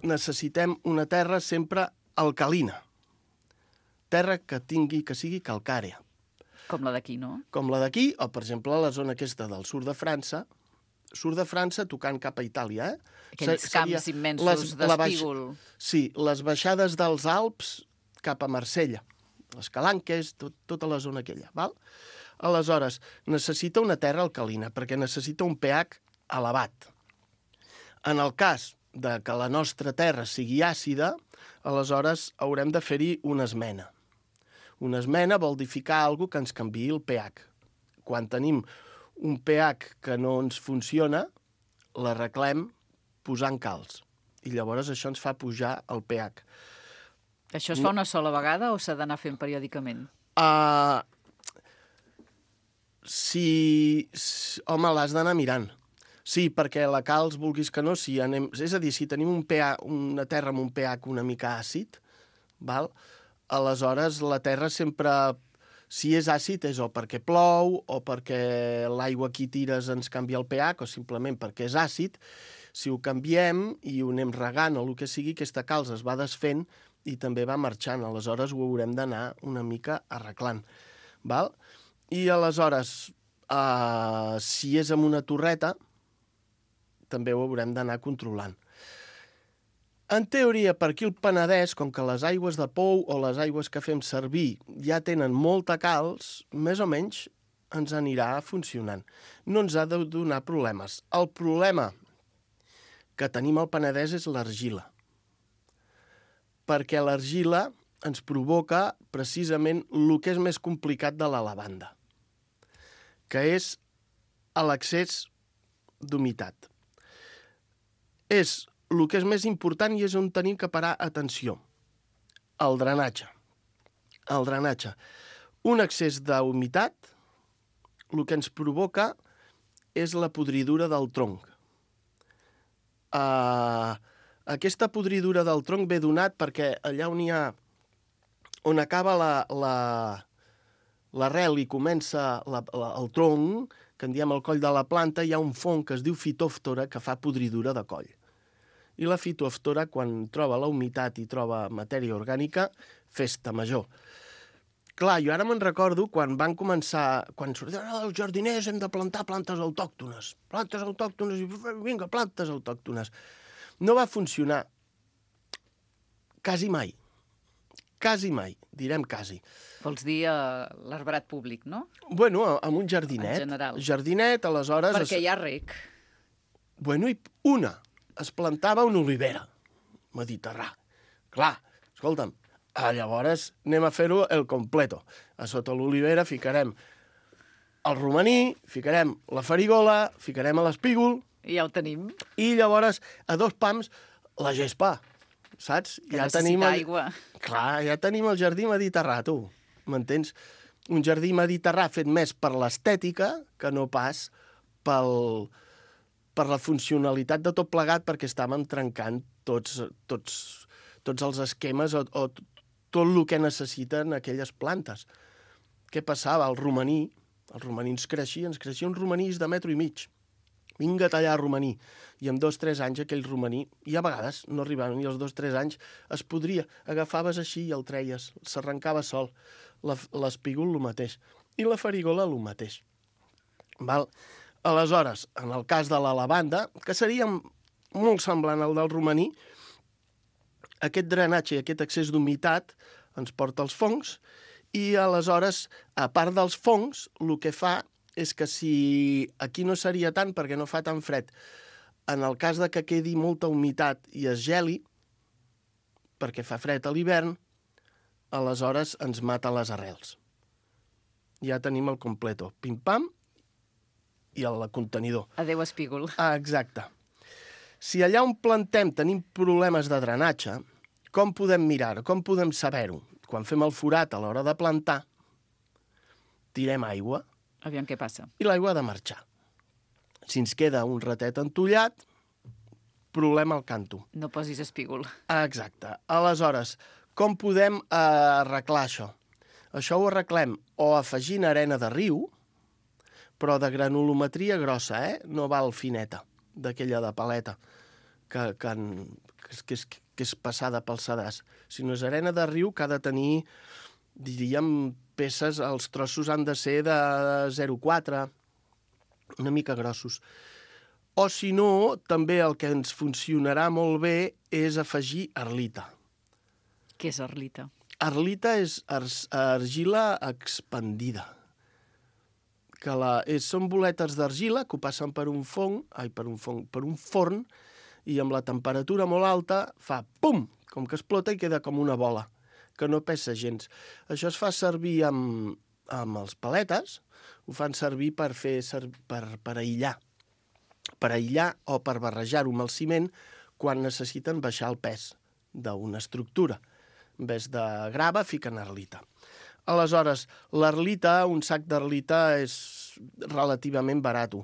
Speaker 8: necessitem una terra sempre alcalina. Terra que tingui, que sigui calcària.
Speaker 2: Com la d'aquí, no?
Speaker 8: Com la d'aquí, o, per exemple, la zona aquesta del sud de França, sud de França tocant cap a Itàlia, eh?
Speaker 2: Aquells
Speaker 8: Seria
Speaker 2: camps immensos d'espígol.
Speaker 8: Baix... Sí, les baixades dels Alps cap a Marsella, les Calanques, tot, tota la zona aquella, val? Aleshores, necessita una terra alcalina, perquè necessita un pH elevat. En el cas de que la nostra terra sigui àcida, aleshores haurem de fer-hi una esmena. Una esmena vol dir ficar alguna que ens canviï el pH. Quan tenim un pH que no ens funciona, l'arreglem posant calç. I llavors això ens fa pujar el pH.
Speaker 2: Això es fa una sola vegada o s'ha d'anar fent periòdicament?
Speaker 8: Uh, si, si... Home, l'has d'anar mirant. Sí, perquè la calç, vulguis que no, si anem... és a dir, si tenim un pH, una terra amb un pH una mica àcid, val? Aleshores la terra sempre, si és àcid, és o perquè plou, o perquè l'aigua que hi tires ens canvia el pH, o simplement perquè és àcid. Si ho canviem i ho anem regant o el que sigui, aquesta calç es va desfent i també va marxant. Aleshores ho haurem d'anar una mica arreglant. Val? I aleshores, uh, si és amb una torreta, també ho haurem d'anar controlant. En teoria, per aquí el Penedès, com que les aigües de pou o les aigües que fem servir ja tenen molta calç, més o menys ens anirà funcionant. No ens ha de donar problemes. El problema que tenim al Penedès és l'argila. Perquè l'argila ens provoca precisament el que és més complicat de la lavanda, que és l'excés d'humitat. És el que és més important i és on tenim que parar atenció. El drenatge. El drenatge. Un excés d'humitat, el que ens provoca és la podridura del tronc. Uh, aquesta podridura del tronc ve donat perquè allà on hi ha, on acaba la, la, l'arrel i comença la, la, el tronc, que en diem el coll de la planta, hi ha un fong que es diu fitòftora que fa podridura de coll. I la fitòftora, quan troba la humitat i troba matèria orgànica, festa major. Clar, jo ara me'n recordo quan van començar, quan sortien els jardiners hem de plantar plantes autòctones, plantes autòctones, i vinga, plantes autòctones. No va funcionar quasi mai, quasi mai, direm quasi.
Speaker 2: Vols dir uh, l'arbrat públic, no?
Speaker 8: Bueno, amb un jardinet.
Speaker 2: En general.
Speaker 8: Jardinet, aleshores...
Speaker 2: Perquè
Speaker 8: es...
Speaker 2: hi ha rec.
Speaker 8: Bueno, i una, es plantava una olivera, mediterrà. Clar, escolta'm, Ah, llavors anem a fer-ho el completo. A sota l'olivera ficarem el romaní, ficarem la farigola, ficarem l'espígol...
Speaker 2: I ja ho tenim.
Speaker 8: I llavors, a dos pams, la gespa, saps?
Speaker 2: Que
Speaker 8: ja
Speaker 2: necessita
Speaker 8: tenim el...
Speaker 2: aigua.
Speaker 8: Clar, ja tenim el jardí mediterrà, tu. M'entens? Un jardí mediterrà fet més per l'estètica que no pas pel... per la funcionalitat de tot plegat, perquè estàvem trencant tots, tots, tots els esquemes o, o tot el que necessiten aquelles plantes. Què passava? El romaní, el romaní ens creixia, ens creixia uns romanís de metro i mig. Vinga a tallar romaní. I en dos o tres anys aquell romaní, i a vegades no arribaven, i als dos o tres anys es podria. Agafaves així i el treies, s'arrencava sol. L'espígol el mateix. I la farigola el mateix. Val? Aleshores, en el cas de la lavanda, que seria molt semblant al del romaní, aquest drenatge i aquest excés d'humitat ens porta als fongs i aleshores, a part dels fongs, el que fa és que si aquí no seria tant perquè no fa tan fred, en el cas de que quedi molta humitat i es geli, perquè fa fred a l'hivern, aleshores ens mata les arrels. Ja tenim el completo. Pim-pam, i el contenidor.
Speaker 2: Adéu, espígol.
Speaker 8: Ah, exacte. Si allà on plantem tenim problemes de drenatge, com podem mirar-ho? Com podem saber-ho? Quan fem el forat a l'hora de plantar, tirem aigua.
Speaker 2: Aviam què passa.
Speaker 8: I l'aigua ha de marxar. Si ens queda un ratet entollat, problema al canto.
Speaker 2: No posis espígol.
Speaker 8: Ah, exacte. Aleshores, com podem eh, arreglar això? Això ho arreglem o afegint arena de riu, però de granulometria grossa, eh? No val fineta, d'aquella de paleta, que, que, que, és, que és passada pel sedàs. Si no és arena de riu, que ha de tenir, diríem, peces, els trossos han de ser de zero coma quatre, una mica grossos. O si no, també el que ens funcionarà molt bé és afegir arlita.
Speaker 2: Què és arlita?
Speaker 8: Arlita és argila expandida. Que la, és, són boletes d'argila que ho passen per un fong, ai, per un fong, per un forn, i amb la temperatura molt alta fa pum, com que explota i queda com una bola, que no pesa gens. Això es fa servir amb, amb els paletes, ho fan servir per fer per, per aïllar, per aïllar o per barrejar-ho amb el ciment quan necessiten baixar el pes d'una estructura. En vez de grava, fiquen arlita. Aleshores, l'arlita, un sac d'arlita és relativament barat.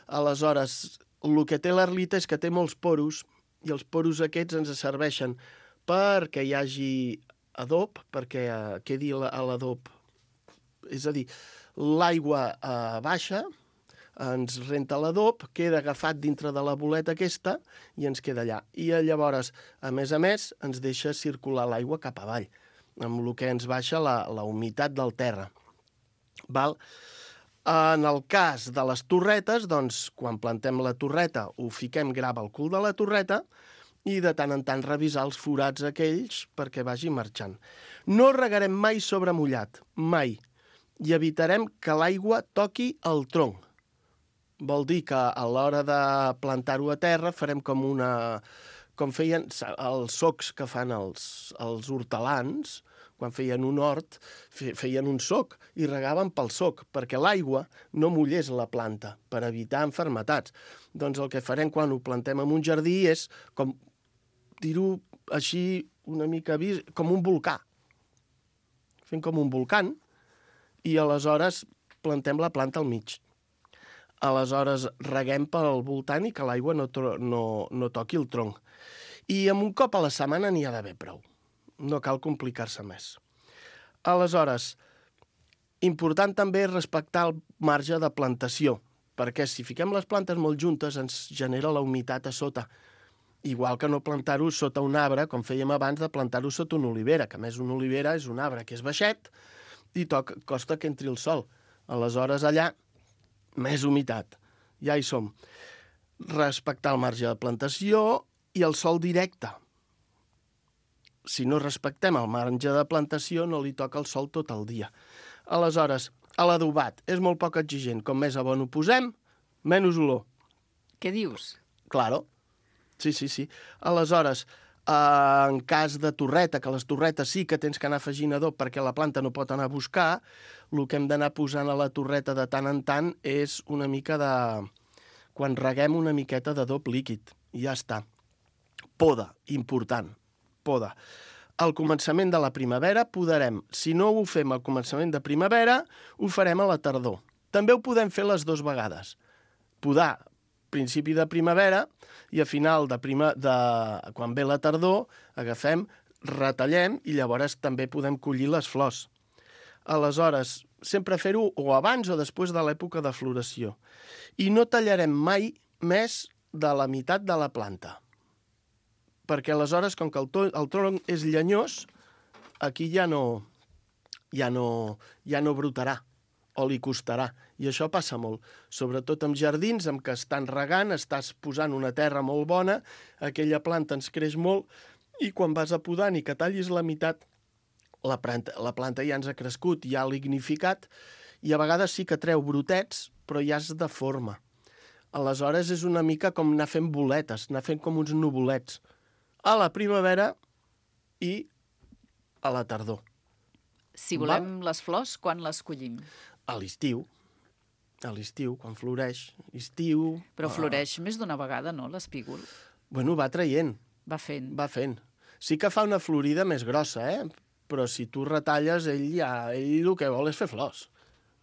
Speaker 8: Aleshores, el que té l'arlita és que té molts poros, i els poros aquests ens serveixen perquè hi hagi adob, perquè quedi a l'adob. És a dir, l'aigua eh, baixa, ens renta l'adob, queda agafat dintre de la boleta aquesta i ens queda allà. I llavors, a més a més, ens deixa circular l'aigua cap avall, amb el que ens baixa la, la humitat del terra. Val? En el cas de les torretes, doncs, quan plantem la torreta, ho fiquem grava al cul de la torreta i de tant en tant revisar els forats aquells perquè vagi marxant. No regarem mai sobre mullat, mai. i evitarem que l'aigua toqui el tronc. Vol dir que a l'hora de plantar-ho a terra farem com una... com feien els socs que fan els, els hortelans, quan feien un hort, feien un soc i regaven pel soc, perquè l'aigua no mullés la planta, per evitar enfermetats. Doncs el que farem quan ho plantem en un jardí és, com dir-ho així una mica vist, com un volcà. Fem com un volcán i aleshores plantem la planta al mig. Aleshores reguem pel voltant i que l'aigua no, no, no toqui el tronc. I amb un cop a la setmana n'hi ha d'haver prou. No cal complicar-se més. Aleshores, important també respectar el marge de plantació, perquè si fiquem les plantes molt juntes ens genera la humitat a sota. Igual que no plantar-ho sota un arbre, com fèiem abans de plantar-ho sota una olivera, que a més una olivera és un arbre que és baixet i toc, costa que entri el sol. Aleshores allà, més humitat. Ja hi som. Respectar el marge de plantació i el sol directe. Si no respectem el marge de plantació, no li toca el sol tot el dia. Aleshores, a l'adobat és molt poc exigent. Com més abono posem, menys olor.
Speaker 2: Què dius?
Speaker 8: Claro. Sí, sí, sí. Aleshores, eh, en cas de torreta, que les torretes sí que tens que anar afegint adob perquè la planta no pot anar a buscar, el que hem d'anar posant a la torreta de tant en tant és una mica de... quan reguem una miqueta d'adob líquid. I ja està. Poda, important. Poda. Al començament de la primavera podarem. Si no ho fem al començament de primavera, ho farem a la tardor. També ho podem fer les dues vegades. Podar principi de primavera i a final de, prima, de quan ve la tardor, agafem, retallem i llavors també podem collir les flors. Aleshores, sempre fer-ho o abans o després de l'època de floració. I no tallarem mai més de la meitat de la planta. Perquè aleshores, com que el, to, el tronc és llenyós, aquí ja no, ja, no, ja no brotarà o li costarà. I això passa molt. Sobretot amb jardins, amb què estan regant, estàs posant una terra molt bona, aquella planta ens creix molt, i quan vas a podar ni que tallis la meitat, la planta, la planta ja ens ha crescut, ja ha lignificat, i a vegades sí que treu brotets, però ja és de forma. Aleshores és una mica com anar fent boletes, anar fent com uns nuvolets. A la primavera i a la tardor.
Speaker 2: Si volem Va? les flors, quan les collim?
Speaker 8: A l'estiu. A l'estiu, quan floreix. Estiu...
Speaker 2: Però floreix ah. més d'una vegada, no, l'espígol?
Speaker 8: Bueno, va traient.
Speaker 2: Va fent.
Speaker 8: Va fent. Sí que fa una florida més grossa, eh? Però si tu retalles, ell ja... Ell el que vol és fer flors.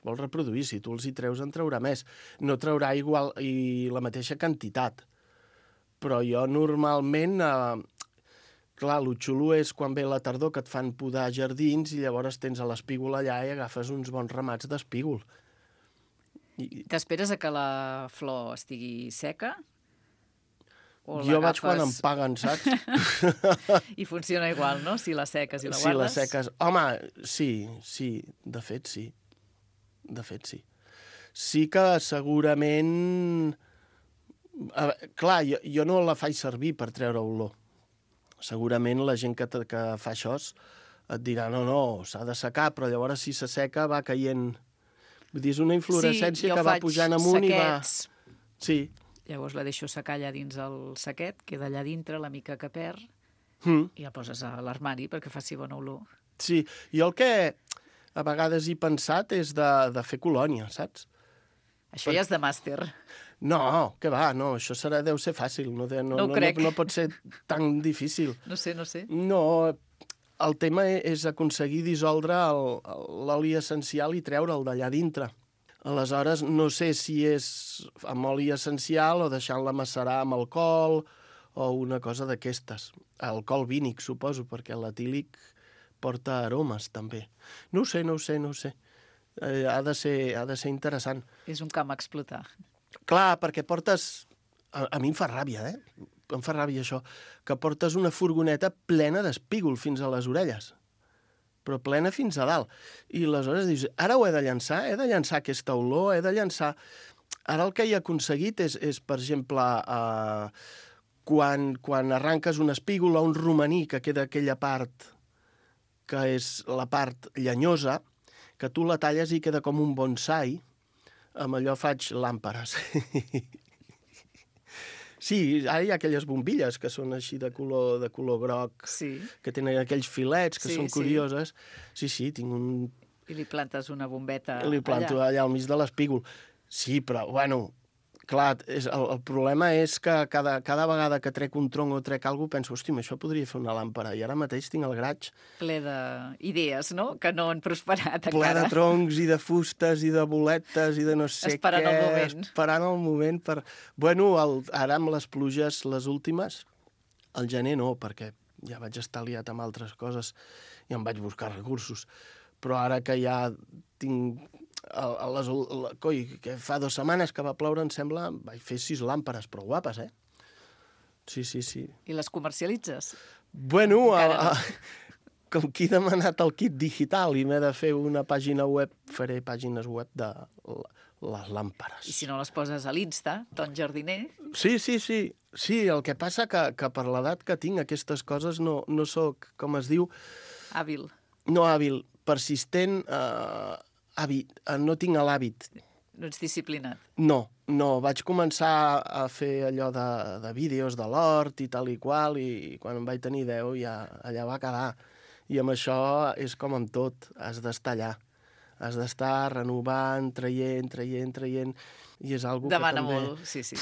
Speaker 8: Vol reproduir. Si tu els hi treus, en traurà més. No traurà igual i la mateixa quantitat. Però jo normalment, eh, clar, el xulo és quan ve la tardor que et fan podar jardins i llavors tens a l'espígol allà i agafes uns bons ramats d'espígol.
Speaker 2: I... T'esperes a que la flor estigui seca? O
Speaker 8: jo vaig quan em paguen, saps?
Speaker 2: I funciona igual, no? Si la seques i la guardes?
Speaker 8: Si la seques... Home, sí, sí, de fet sí. De fet sí. Sí que segurament... Uh, clar, jo, jo no la faig servir per treure olor. Segurament la gent que, que fa això et dirà no, no, s'ha de secar, però llavors si se seca va caient... Vull dir, és una inflorescència
Speaker 2: sí,
Speaker 8: que va pujant amunt
Speaker 2: saquets.
Speaker 8: I va... Sí.
Speaker 2: Llavors la deixo secar allà dins el saquet, queda allà dintre la mica que perd,
Speaker 8: mm.
Speaker 2: i la poses a l'armari perquè faci bona olor.
Speaker 8: Sí, jo el que a vegades he pensat és de, de fer colònia, saps?
Speaker 2: Això per... ja és de màster.
Speaker 8: No, que va, no, això serà, deu ser fàcil, no, no,
Speaker 2: no,
Speaker 8: no, no, no pot ser tan difícil.
Speaker 2: No sé, no sé.
Speaker 8: No, el tema és aconseguir dissoldre l'oli essencial i treure'l d'allà dintre. Aleshores, no sé si és amb oli essencial o deixant-la macerar amb alcohol o una cosa d'aquestes. Alcohol vínic, suposo, perquè l'etílic porta aromes, també. No ho sé, no ho sé, no ho sé. Eh, ha de ser, ha de ser interessant.
Speaker 2: És un camp a explotar.
Speaker 8: Clar, perquè portes... A, a mi em fa ràbia, eh? Em fa ràbia això. Que portes una furgoneta plena d'espígol fins a les orelles. Però plena fins a dalt. I aleshores dius, ara ho he de llançar? He de llançar aquesta olor? He de llançar... Ara el que he aconseguit és, és per exemple, eh, quan, quan arranques un espígol o un romaní, que queda aquella part que és la part llenyosa, que tu la talles i queda com un bonsai, amb allò faig làmperes. Sí, ara hi ha aquelles bombilles que són així de color, de color groc,
Speaker 2: Sí.
Speaker 8: que tenen aquells filets que
Speaker 2: Sí,
Speaker 8: són
Speaker 2: sí.
Speaker 8: curioses. Sí, sí, tinc un...
Speaker 2: I li plantes una bombeta
Speaker 8: Li planto allà, allà al mig de l'espígol. Sí, però, bueno, clar, és, el, el problema és que cada, cada vegada que trec un tronc o trec alguna cosa, penso, hòstia, això podria fer una làmpara. I ara mateix tinc el graig
Speaker 2: ple d'idees, no?, que no han prosperat
Speaker 8: ple
Speaker 2: encara.
Speaker 8: de troncs i de fustes i de boletes i de no sé
Speaker 2: Esperant
Speaker 8: què.
Speaker 2: el moment.
Speaker 8: Esperant el moment per... Bueno, el, ara amb les pluges, les últimes, al gener no, perquè ja vaig estar liat amb altres coses i em vaig buscar recursos. Però ara que ja tinc... A, a les, a, coi, que fa dues setmanes que va ploure, em sembla, vaig fer sis làmperes, però guapes, eh? Sí, sí, sí.
Speaker 2: I les comercialitzes?
Speaker 8: Bueno, a,
Speaker 2: Encara no.
Speaker 8: a, com que he demanat el kit digital i m'he de fer una pàgina web, faré pàgines web de l- les làmperes.
Speaker 2: I si no les poses a l'Insta, Ton Jardiner,
Speaker 8: Sí, sí, sí. Sí, el que passa que, que per l'edat que tinc aquestes coses no, no sóc, com es diu,
Speaker 2: hàbil.
Speaker 8: no hàbil, persistent, eh, hàbit, eh, no tinc l'hàbit.
Speaker 2: No ets disciplinat.
Speaker 8: No, no, vaig començar a fer allò de, de vídeos de l'hort i tal i qual, i quan en vaig tenir deu ja allà va quedar. I amb això és com amb tot, has d'estar allà. Has d'estar renovant, traient, traient, traient, i és algo
Speaker 2: Demana
Speaker 8: que també...
Speaker 2: molt, sí, sí.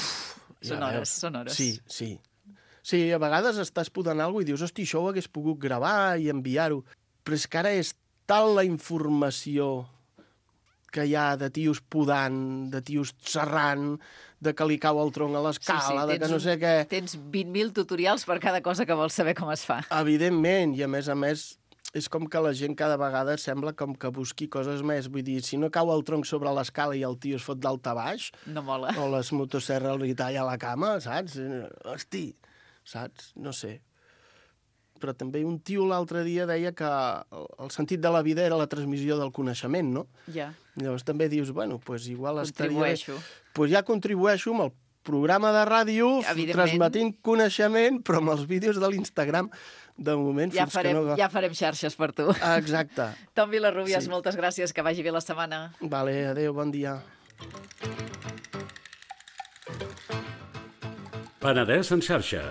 Speaker 8: Ja
Speaker 2: Són hores,
Speaker 8: veus.
Speaker 2: són hores.
Speaker 8: Sí, sí. Sí, a vegades estàs podant alguna cosa i dius, hosti, això ho hagués pogut gravar i enviar-ho. Però és que ara és tal la informació que hi ha de tios podant, de tios serrant, de que li cau el tronc a l'escala, de que
Speaker 2: tens
Speaker 8: no
Speaker 2: un-
Speaker 8: sé què...
Speaker 2: Tens vint mil tutorials per cada cosa que vols saber com es fa.
Speaker 8: Evidentment, i a més a més és com que la gent cada vegada sembla com que busqui coses més. Vull dir, si no cau el tronc sobre l'escala i el tio es fot d'alta baix,
Speaker 2: No mola.
Speaker 8: o les motosserres li talla la cama, saps? Hosti, saps? No sé. Però també un tio l'altre dia deia que el el sentit de la vida era la transmissió del coneixement, no?
Speaker 2: Ja,
Speaker 8: I llavors també dius, bueno, doncs igual estaria...
Speaker 2: contribueixo.
Speaker 8: Doncs pues ja contribueixo amb el programa de ràdio,
Speaker 2: Evidentment.
Speaker 8: transmetint coneixement, però amb els vídeos de l'Instagram, de moment,
Speaker 2: Ja
Speaker 8: fins
Speaker 2: farem,
Speaker 8: que no...
Speaker 2: ja farem xarxes per tu.
Speaker 8: Ah, exacte.
Speaker 2: Tom Vilarrubias,
Speaker 8: Sí.
Speaker 2: moltes gràcies, que vagi bé la setmana.
Speaker 8: Vale, adéu, bon dia.
Speaker 1: Penedès en xarxa.